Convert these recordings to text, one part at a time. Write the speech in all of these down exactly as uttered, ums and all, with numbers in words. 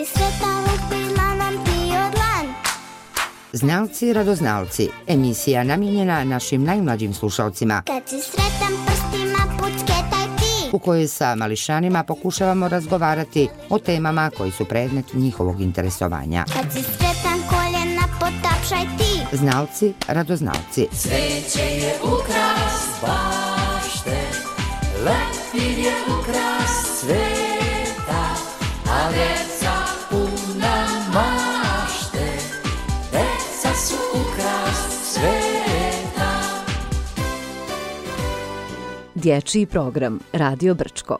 si sretna lupila nam ti od dlan. Znalci radoznalci, emisija namijenjena našim najmlađim slušalcima, Kad si sretan prstima pucketaj ti. u kojoj sa mališanima pokušavamo razgovarati o temama koji su predmet njihovog interesovanja. Kad si sretan koljena potapšaj ti. Znalci radoznalci. Cveće je ukras bašte, leptir je ukras sveta, a djeca puna mašte, deca su ukras sveta. Dječji program Radio Brčko.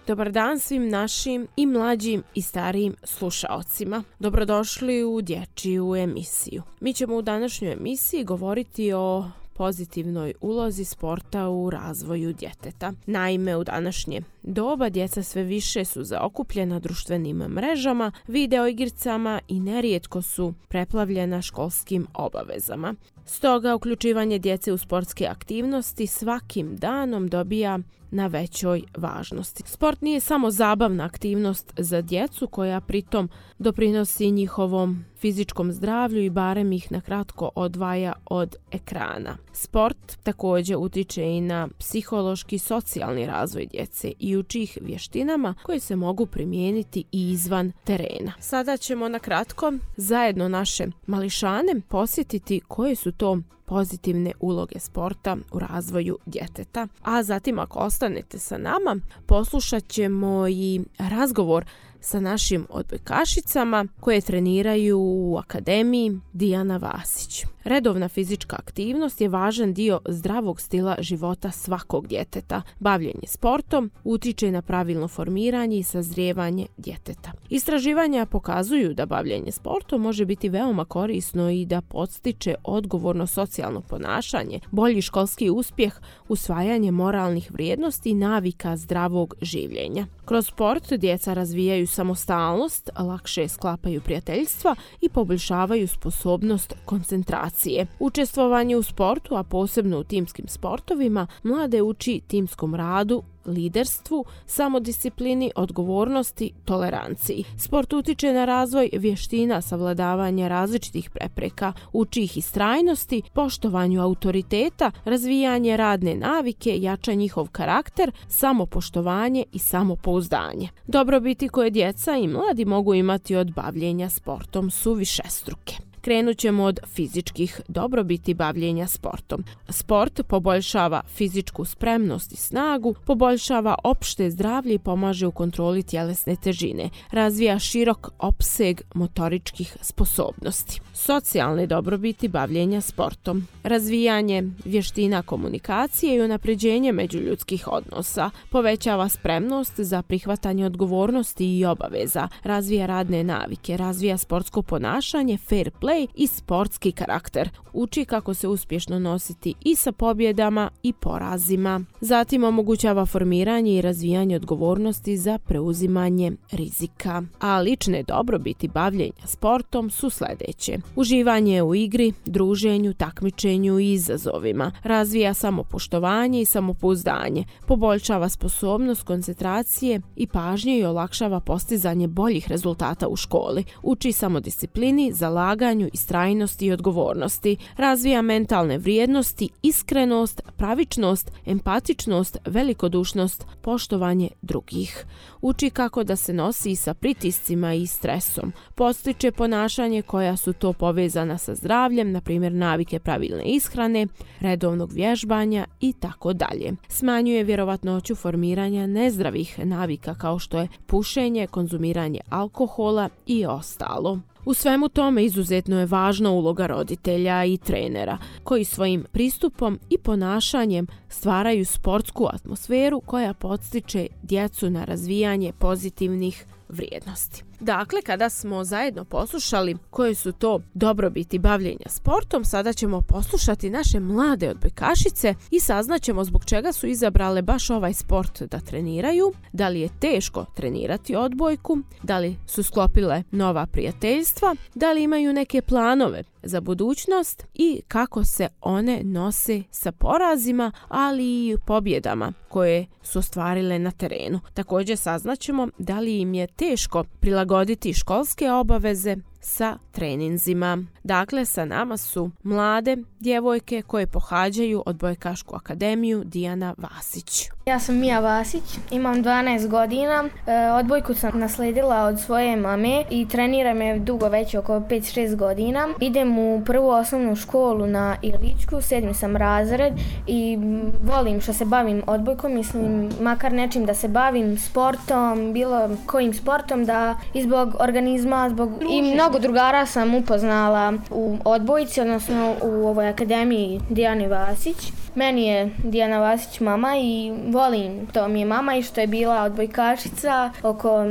Dobar dan svim našim i mlađim i starijim slušaocima. Dobrodošli u dječju emisiju. Mi ćemo u današnjoj emisiji govoriti o pozitivnoj ulozi sporta u razvoju djeteta. Naime, u današnje doba djeca sve više su zaokupljena društvenim mrežama, videoigricama i nerijetko su preplavljena školskim obavezama. Stoga, uključivanje djece u sportske aktivnosti svakim danom dobija na većoj važnosti. Sport nije samo zabavna aktivnost za djecu koja pritom doprinosi njihovom fizičkom zdravlju i barem ih na kratko odvaja od ekrana. Sport također utiče i na psihološki i socijalni razvoj djece i uči ih vještinama koje se mogu primijeniti i izvan terena. Sada ćemo na kratko zajedno naše mališane posjetiti koje su to pozitivne uloge sporta u razvoju djeteta. A zatim, ako ostanete sa nama, poslušat ćemo i razgovor sa našim odbojkašicama koje treniraju u Akademiji Dijana Vasić. Redovna fizička aktivnost je važan dio zdravog stila života svakog djeteta. Bavljenje sportom utiče na pravilno formiranje i sazrijevanje djeteta. Istraživanja pokazuju da bavljenje sportom može biti veoma korisno i da podstiče odgovorno socijalno ponašanje, bolji školski uspjeh, usvajanje moralnih vrijednosti i navika zdravog življenja. Kroz sport djeca razvijaju samostalnost, lakše sklapaju prijateljstva i poboljšavaju sposobnost koncentracije. Učestvovanje u sportu, a posebno u timskim sportovima, mlade uči timskom radu, liderstvu, samodisciplini, odgovornosti, toleranciji. Sport utiče na razvoj vještina savladavanja različitih prepreka, uči ih istrajnosti, poštovanju autoriteta, razvijanje radne navike, jača njihov karakter, samopoštovanje i samopouzdanje. Dobrobiti koje djeca i mladi mogu imati od bavljenja sportom su višestruke. Krenut ćemo od fizičkih dobrobiti bavljenja sportom. Sport poboljšava fizičku spremnost i snagu, poboljšava opšte zdravlje i pomaže u kontroli tjelesne težine, razvija širok opseg motoričkih sposobnosti. Socijalne dobrobiti bavljenja sportom. Razvijanje vještina komunikacije i unapređenje međuljudskih odnosa, povećava spremnost za prihvatanje odgovornosti i obaveza, razvija radne navike, razvija sportsko ponašanje, fair play i sportski karakter. Uči kako se uspješno nositi i sa pobjedama i porazima. Zatim omogućava formiranje i razvijanje odgovornosti za preuzimanje rizika. A lične dobrobiti bavljenja sportom su sljedeće. Uživanje u igri, druženju, takmičenju i izazovima. Razvija samopoštovanje i samopouzdanje. Poboljšava sposobnost koncentracije i pažnje i olakšava postizanje boljih rezultata u školi. Uči samodisciplini, zalaganju, istrajnosti i odgovornosti. Razvija mentalne vrijednosti, iskrenost, pravičnost, empatičnost, velikodušnost, poštovanje drugih. Uči kako da se nosi sa pritiscima i stresom. Podstiče ponašanje koja su to povezana sa zdravljem, na primjer navike pravilne ishrane, redovnog vježbanja i tako dalje. Smanjuje vjerovatnoću formiranja nezdravih navika kao što je pušenje, konzumiranje alkohola i ostalo. U svemu tome izuzetno je važna uloga roditelja i trenera, koji svojim pristupom i ponašanjem stvaraju sportsku atmosferu koja podstiče djecu na razvijanje pozitivnih vrijednosti. Dakle, kada smo zajedno poslušali koje su to dobrobiti bavljenja sportom, sada ćemo poslušati naše mlade odbojkašice i saznaćemo zbog čega su izabrale baš ovaj sport da treniraju, da li je teško trenirati odbojku, da li su sklopile nova prijateljstva, da li imaju neke planove za budućnost i kako se one nose sa porazima, ali i pobjedama koje su ostvarile na terenu. Također saznaćemo da li im je teško prilagoditi školske obaveze sa treninzima. Dakle, sa nama su mlade djevojke koje pohađaju Odbojkašku akademiju Dijana Vasić. Ja sam Mija Vasić, imam dvanaest godina, e, odbojku sam nasledila od svoje mame i treniram je dugo, već oko pet šest godina. Idem u prvu osnovnu školu na Iličku, sedmi sam razred i volim što se bavim odbojkom, mislim makar nečim da se bavim sportom, bilo kojim sportom, da i zbog organizma, zbog i mnogo drugara sam upoznala u odbojci, odnosno u ovoj akademiji Dijani Vasić. Meni je Dijana Vasić mama i volim to mi je mama i što je bila odbojkašica oko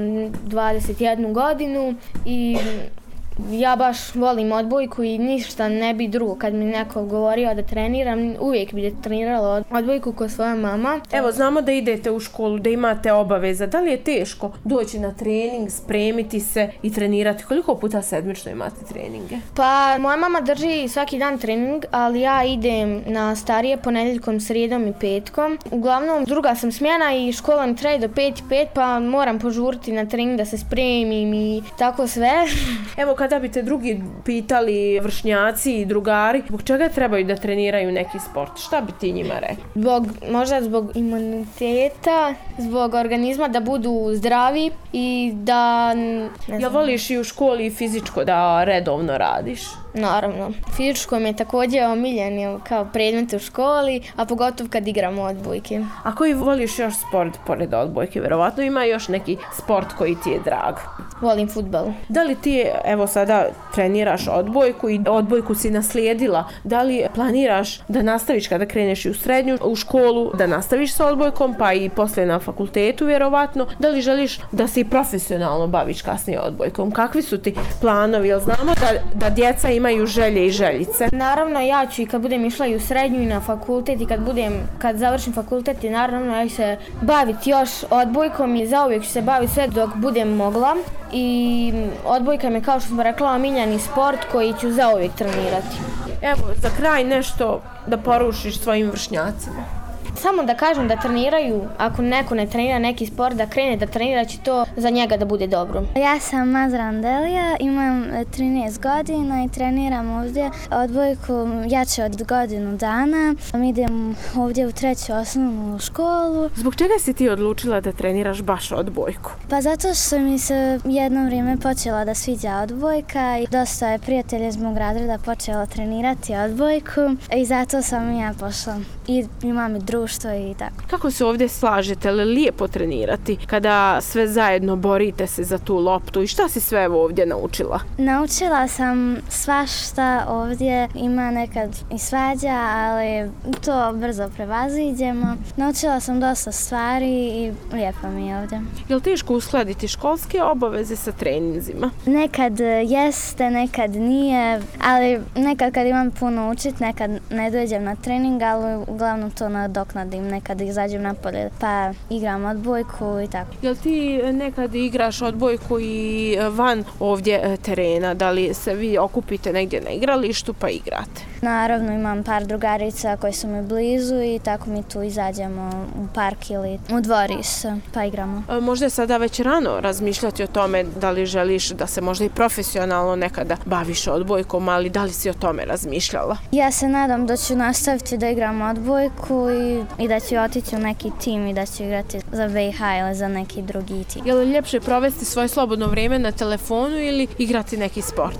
dvadeset jednu godinu i ja baš volim odbojku i ništa ne bi drugo. Kad mi neko govorio da treniram, uvijek bi trenirala odbojku kao svoja mama. Evo, znamo da idete u školu, da imate obaveza. Da li je teško doći na trening, spremiti se i trenirati? Koliko puta sedmično imate treninge? Pa, moja mama drži svaki dan trening, ali ja idem na starije ponedjeljkom, srijedom i petkom. Uglavnom, druga sam smjena i škola mi traje do pet i pet, pa moram požuriti na trening da se spremim i tako sve. Evo, kada bi te drugi pitali, vršnjaci i drugari, zbog čega trebaju da treniraju neki sport? Šta bi ti njima rekli? Zbog, možda zbog imuniteta, zbog organizma da budu zdravi i da... Ja voliš i u školi i fizičko da redovno radiš? Naravno. Fizičko mi je također omiljen kao predmet u školi, a pogotovo kad igramo odbojke. A koji voliš još sport pored odbojke? Vjerovatno ima još neki sport koji ti je drag. Volim fudbal. Da li ti, evo sada treniraš odbojku i odbojku si naslijedila, da li planiraš da nastaviš kada kreneš i u srednju u školu, da nastaviš sa odbojkom pa i poslije na fakultetu vjerovatno? Da li želiš da se i profesionalno baviš kasnije odbojkom? Kakvi su ti planovi? Jel znamo da, da djeca imaju želje i željice? Naravno, ja ću i kad budem išla i u srednju i na fakultet i kad budem, kad završim fakultet i naravno ja ću se baviti još odbojkom i zauvijek ću se baviti sve dok budem mogla. I odbojka mi je, kao što smo rekla, omiljeni sport koji ću zauvijek trenirati. Evo, za kraj nešto da poručiš svojim vršnjacima. Samo da kažem da treniraju, ako neko ne trenira neki sport, da krene da trenira, će to za njega da bude dobro. Ja sam Mazra Andelija, imam trinaest godina i treniram ovdje odbojku jače od godinu dana. Idem ovdje u treću osnovnu školu. Zbog čega si ti odlučila da treniraš baš odbojku? Pa zato što mi se jedno vrijeme počela da sviđa odbojka i dosta je prijatelja iz mog razreda počelo trenirati odbojku i zato sam i ja pošla. I imam i društvo i tako. Kako se ovdje slažete? Li lijepo trenirati kada sve zajedno borite se za tu loptu i šta si sve ovdje naučila? Naučila sam svašta ovdje, ima nekad i svađa, ali to brzo prevaziđemo. Naučila sam dosta stvari i lijepo mi je ovdje. Je li teško uskladiti školske obaveze sa treninzima? Nekad jeste, nekad nije, ali nekad kad imam puno učit, nekad ne dođem na trening, ali uglavnom to nadoknadim, nekad izađem napolje pa igram odbojku i tako. Jel ti nekad igraš odbojku i van ovdje terena? Da li se vi okupite negdje na igralištu pa igrate? Naravno, imam par drugarica koji su mi blizu i tako mi tu izađemo u park ili u dvorište pa igramo. Možda je sada već rano razmišljati o tome da li želiš da se možda i profesionalno nekada baviš odbojkom, ali da li si o tome razmišljala? Ja se nadam da ću nastaviti da igram odbojku i, i da ću otići u neki tim i da ću igrati za V I H ili za neki drugi tim. Je li ljepše provesti svoje slobodno vrijeme na telefonu ili igrati neki sport?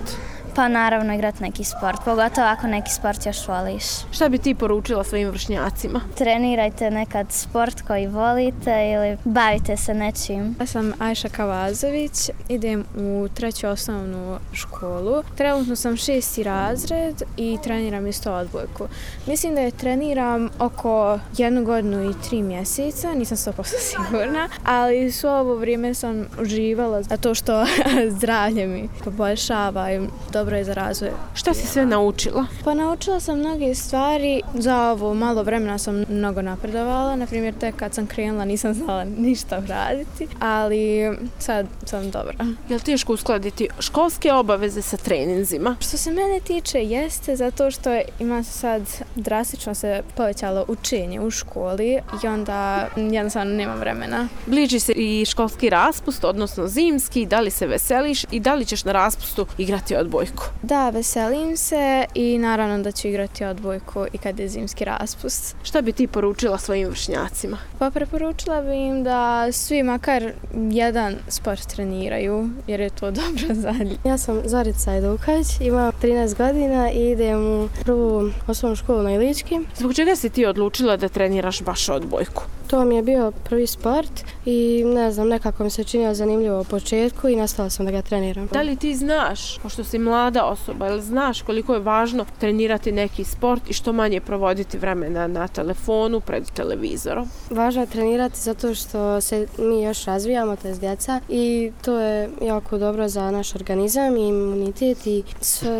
Pa naravno igrati neki sport, pogotovo ako neki sport još voliš. Šta bi ti poručila svojim vršnjacima? Trenirajte nekad sport koji volite ili bavite se nečim. Ja sam Ajša Kavazović, idem u treću osnovnu školu. Trenutno sam šesti razred i treniram isto odbojku. Mislim da je treniram oko jednu godinu i tri mjeseca, nisam sto posto sigurna, ali svo ovo vrijeme sam uživala zato što zdravlje mi poboljšava i dobro je za razvoj. Šta si sve naučila? Pa naučila sam mnoge stvari, za ovo malo vremena sam mnogo napredovala, na primjer tek kad sam krenula nisam znala ništa raditi, ali sad sam dobra. Je li teško uskladiti školske obaveze sa treninzima? Što se mene tiče jeste zato što ima sad drastično se povećalo učenje u školi i onda jednostavno nemam vremena. Bliži se i školski raspust, odnosno zimski, da li se veseliš i da li ćeš na raspustu igrati odbojku? Da, veselim se i naravno da ću igrati odbojku i kad je zimski raspust. Šta bi ti poručila svojim vršnjacima? Pa preporučila bi im da svi makar jedan sport treniraju jer je to dobro za njih. Ja sam Zorica Edukač, imam trinaest godina i idem u prvu osnovnu školu na Ilički. Zbog čega si ti odlučila da treniraš baš odbojku? To mi je bio prvi sport i ne znam, nekako mi se činilo zanimljivo u početku i nastala sam da ga treniram. Da li ti znaš, pošto si mlada osoba, ili znaš koliko je važno trenirati neki sport i što manje provoditi vremena na telefonu, pred televizorom? Važno je trenirati zato što se mi još razvijamo, to je djeca, i to je jako dobro za naš organizam i imunitet i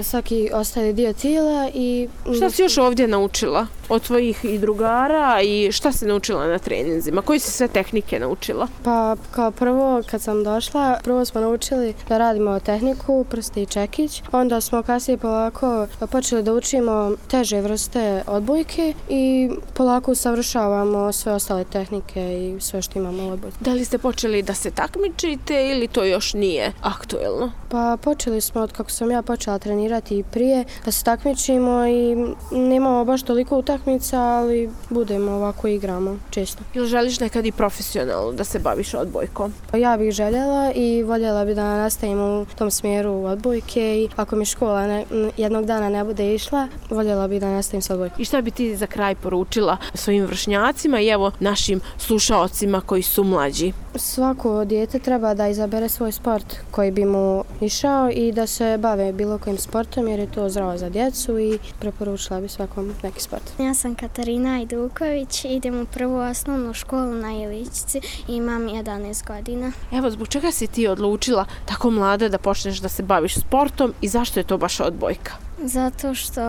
svaki ostali dio tijela. I šta si još ovdje naučila od svojih i drugara i šta si naučila na treninzima? Koje si sve tehnike naučila? Pa kao prvo kad sam došla, prvo smo naučili da radimo tehniku, prsti i čekić. Onda smo kasnije polako počeli da učimo teže vrste odbojke i polako usavršavamo sve ostale tehnike i sve što imamo u odbojci. Da li ste počeli da se takmičite ili to još nije aktuelno? Pa počeli smo od kako sam ja počela trenirati i prije da se takmičimo i nemamo baš toliko utakmica, ali budemo ovako igramo često. Ili želiš nekad i profesionalno da se baviš odbojkom? Ja bih željela i voljela bi da nastavim u tom smjeru odbojke i ako mi škola ne, jednog dana ne bude išla, voljela bi da nastavim s odbojkom. I šta bi ti za kraj poručila svojim vršnjacima i evo našim slušaocima koji su mlađi? Svako dijete treba da izabere svoj sport koji bi mu išao i da se bave bilo kojim sportom jer je to zdravo za djecu i preporučila bi svakom neki sport. Ja sam Katarina Ajduković, idem u prvu osnovnu školu na Iličci i imam jedanaest godina. Evo, zbog čega si ti odlučila tako mlada da počneš da se baviš sportom i zašto je to baš odbojka? Zato što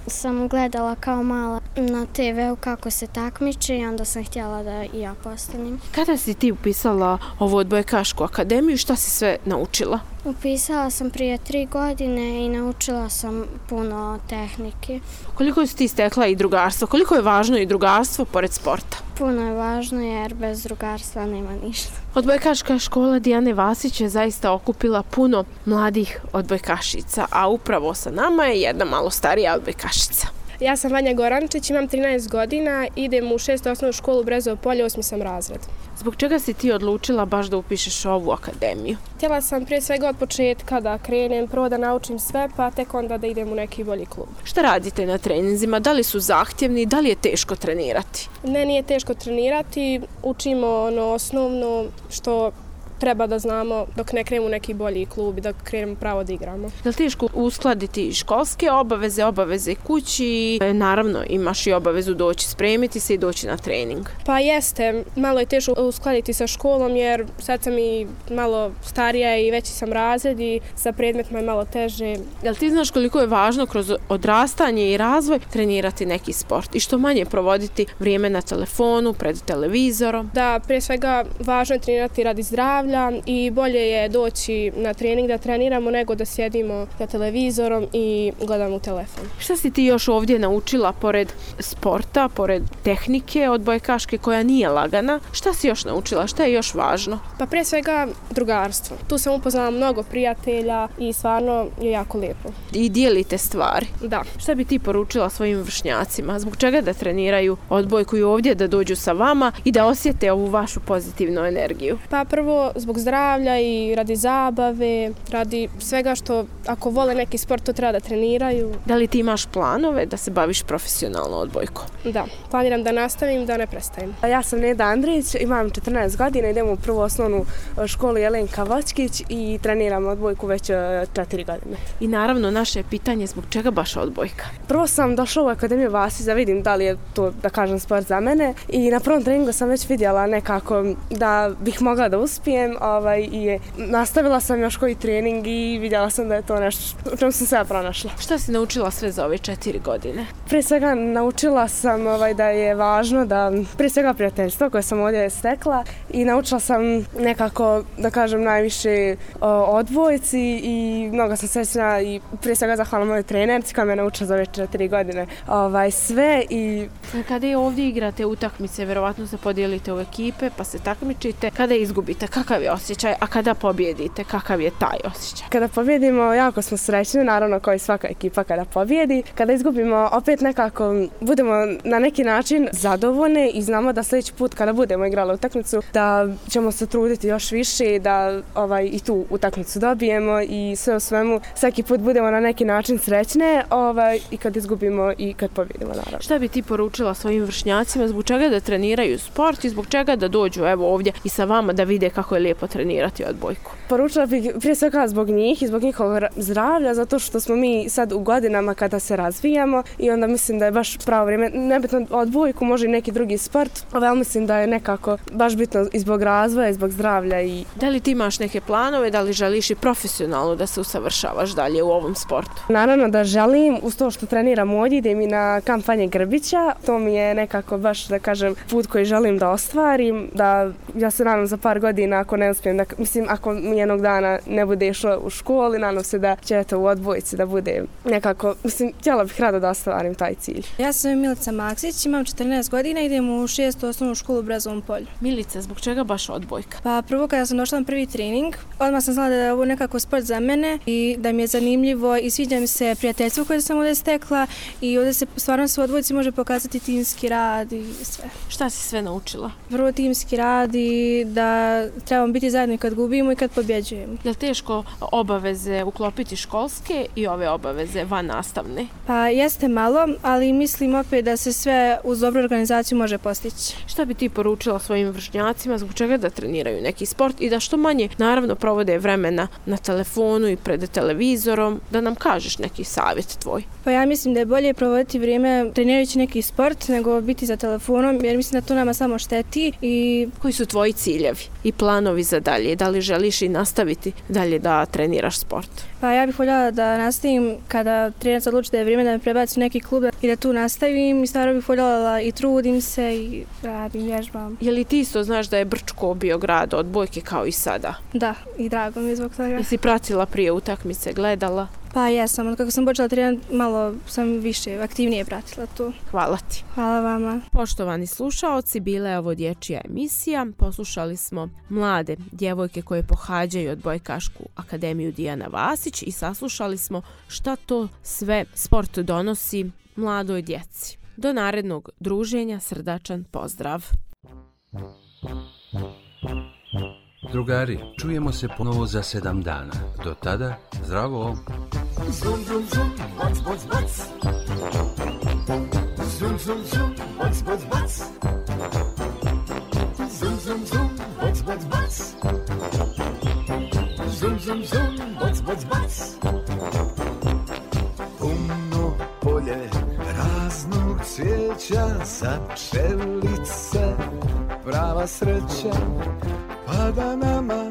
sam gledala kao mala na te veu kako se takmiče i onda sam htjela da i ja postanem. Kada si ti upisala ovu odbojkašku akademiju, šta si sve naučila? Upisala sam prije tri godine i naučila sam puno tehnike. Koliko si ti stekla i drugarstvo? Koliko je važno i drugarstvo pored sporta? Puno je važno jer bez drugarstva nema ništa. Odbojkaška škola Dijane Vasić je zaista okupila puno mladih odbojkašica, a upravo sa nama je jedna malo starija odbojkašica. Ja sam Vanja Gorančić, imam trinaest godina, idem u šestu osnovnu školu Brezovo polje, osmi sam razred. Zbog čega si ti odlučila baš da upišeš ovu akademiju? Htjela sam prije svega od početka da krenem, prvo da naučim sve, pa tek onda da idem u neki bolji klub. Šta radite na treninzima? Da li su zahtjevni? Da li je teško trenirati? Ne, nije teško trenirati. Učimo ono osnovno što treba da znamo dok ne krenemo u neki bolji klub i da krenemo pravo da igramo. Je li teško uskladiti školske obaveze, obaveze kući? Naravno, imaš i obavezu doći spremiti se i doći na trening. Pa jeste, malo je teško uskladiti sa školom jer sad sam i malo starija i veći sam razred i sa predmetima je malo teže. Jel ti znaš koliko je važno kroz odrastanje i razvoj trenirati neki sport i što manje provoditi vrijeme na telefonu, pred televizorom? Da, prije svega važno je trenirati radi zdravlja i bolje je doći na trening da treniramo nego da sjedimo za televizorom i gledamo u telefon. Šta si ti još ovdje naučila pored sporta, pored tehnike odbojkaške koja nije lagana? Šta si još naučila? Šta je još važno? Pa prije svega drugarstvo. Tu sam upoznala mnogo prijatelja i stvarno je jako lijepo. I dijelite stvari? Da. Šta bi ti poručila svojim vršnjacima? Zbog čega da treniraju odbojku i ovdje da dođu sa vama i da osjete ovu vašu pozitivnu energiju? Pa prvo zbog zdravlja i radi zabave, radi svega što ako vole neki sport to treba da treniraju. Da li ti imaš planove da se baviš profesionalno odbojkom? Da, planiram da nastavim, da ne prestajem. Ja sam Neda Andrić, imam četrnaest godina, idem u prvu osnovnu školu Jelenka Vočkić i treniram odbojku već četiri godine. I naravno naše je pitanje zbog čega baš odbojka? Prvo sam došla u Akademiju Vasić da vidim da li je to, da kažem, sport za mene i na prvom treningu sam već vidjela nekako da bih mogla da uspijem ovaj, i nastavila sam još koji trening i vidjela sam da je to nešto u čemu sam sve pronašla. Šta si naučila sve za ove četiri godine? Prije svega naučila sam ovaj, da je važno da, prije svega prijateljstvo koje sam ovdje stekla i naučila sam nekako, da kažem, najviše o odbojci i mnogo sam srećna i prije svega zahvala mojoj trenerci koja me naučila za ove četiri godine ovaj, sve i... Kada je ovdje igrate utakmice, verovatno se podijelite u ekipe pa se takmičite. Kada izgubite, kakav je osjećaj, a kada pobjedite, kakav je taj osjećaj? Kada pobjedimo, jako smo srećni, naravno kao i svaka ekipa kada pobjedi. Kada izgubimo, opet nekako budemo na neki način zadovoljni i znamo da sljedeći put kada budemo igrali utakmicu da ćemo se truditi još više da ovaj, i tu utakmicu dobijemo i sve u svemu svaki put budemo na neki način srećne ovaj, i kad izgubimo i kad pobjedimo, naravno. Šta bi ti poručila svojim vršnjacima, zbog čega da treniraju sport i zbog čega da dođu evo ovdje i sa vama da vide kako je lijepo trenirati odbojku? Poručila bih prije svega zbog njih i zbog njihovog zdravlja, zato što smo mi sad u godinama kada se razvijamo i onda mislim da je baš pravo vrijeme, nebitno odbojku, može i neki drugi sport, ali mislim da je nekako baš bitno i zbog razvoja i zbog zdravlja. I... Da li ti imaš neke planove, da li želiš i profesionalno da se usavršavaš dalje u ovom sportu? Naravno da želim, uz to što treniram ovdje, idem i na kampanje Grbića, to mi je nekako baš, da kažem, put koji želim da ostvarim, da ja se nadam za par godina ako ne uspijem, da, mislim ako mi jednog dana ne bude išla u školi, nadam se da će to u odbojci da bude nekako, mislim, htjela bih rado da ostvarim taj cilj. Ja sam Milica Maksić, imam četrnaest godina, idem u šestu osnovnu školu u Brezovom polju. Milica, zbog čega baš odbojka? Pa prvo kada sam došla na prvi trening, odmah sam znala da je ovo nekako sport za mene i da mi je zanimljivo i sviđa mi se prijateljstvo koje sam ovdje stekla i ovdje se stvarno se u odbojci može pokazati timski rad i sve. Šta si sve naučila? Prvo timski rad i da trebamo biti zajedno kad gubimo i kad pobjeđujemo. Je li teško obaveze uklopiti školske i ove obaveze van nastavne? Pa jeste malo, ali mislim opet da se sve uz dobru organizaciju može postići. Šta bi ti poručila svojim vršnjacima, zbog čega da treniraju neki sport i da što manje naravno provode vremena na telefonu i pred televizorom, da nam kažeš neki savjet tvoj? Pa ja mislim da je bolje provoditi vrijeme trenirajući neki sport nego biti za telefonom, jer mislim da to nama samo šteti. I koji su tvoji ciljevi i planovi za dalje? Da li želiš i nastaviti dalje da treniraš sport? Pa ja bih voljela da nastavim kada trenac odluči da je vrijeme da me prebaci u neki klub i da tu nastavim i stvarno bih voljela i trudim se i radim, vježbam. Je li ti isto znaš da je Brčko bio grad odbojke kao i sada? Da, i drago mi je zbog toga. Jesi pratila prije utakmice, gledala? Pa jesam, od kako sam počela trenirati malo sam više aktivnije pratila to. Hvala ti. Hvala vama. Poštovani slušaoci, bila je ovo dječja emisija. Poslušali smo mlade djevojke koje pohađaju odbojkašku akademiju Dijana Vasić i saslušali smo šta to sve sport donosi mladoj djeci. Do narednog druženja, srdačan pozdrav. Drugari, čujemo se ponovo za sedam dana. Do tada, zdravo! Zum, zum, zum, bac, bac, bac. Zum, zum, zum, bac, bac, bac. Zum, zum, zum, bac, bac, bac. Zum, zum, zum, bac, bac, bac. Puno polje raznog cvijeća, za pčelice prava sreća. Pa da nama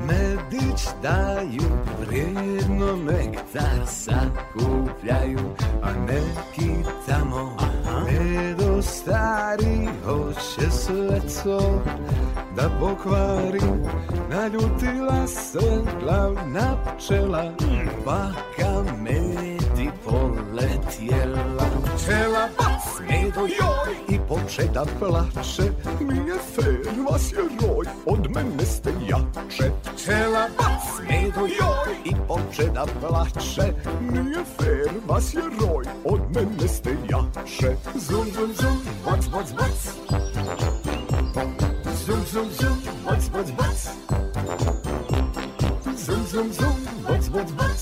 medić daju, vrijedno nektar sakupljaju, a neki tamo medo stari hoće sve to da pokvari. Naljutila se glavna pčela, pa ka medi poletjela. Pčela bac, medo joj, i poče da plače, nije fer, vas je roj, od mene ste jače. Pčela bac, medo joj, i poče da plače, nije fer, vas je roj, od mene ste jače. Zum, zum, zum, bac, bac, bac. Zum, zum, zum, bac, bac, bac. Zum, zum, zum, bac, bac, bac.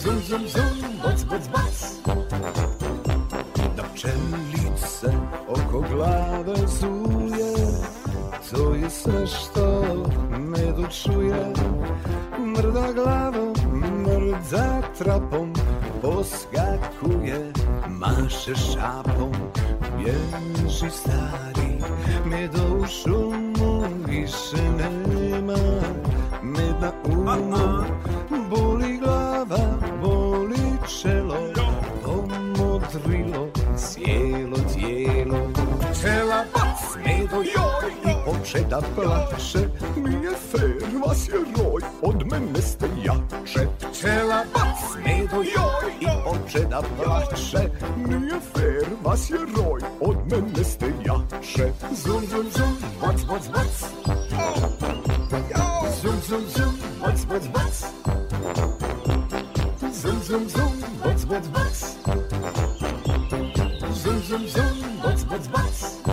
Zum, zum, zum, bac, bac, bac. Da pčelice oko glave zuje, to je sve što ne dočuje. Mrda glavom, mrda trapom, poskakuje, maše šapom. Bježi stari, medo u šumu više nema. Med na umu, boli glava, boli čelo, pomodrilo cijelo tijelo. Čela bac, medo joj i poče da plače. Nije fer, vas je roj, od mene ste jače. Čela bac, medo joj i poče da plače. Nije fer, vas je roj, od mene ste jače. Zum, zum, zum, bac, bac, bac. Zum, zum, zum, bac, bac, bac. Zum, zum, zum, bac, bac, bac. Zum, zum, zum, bac, bac, bac.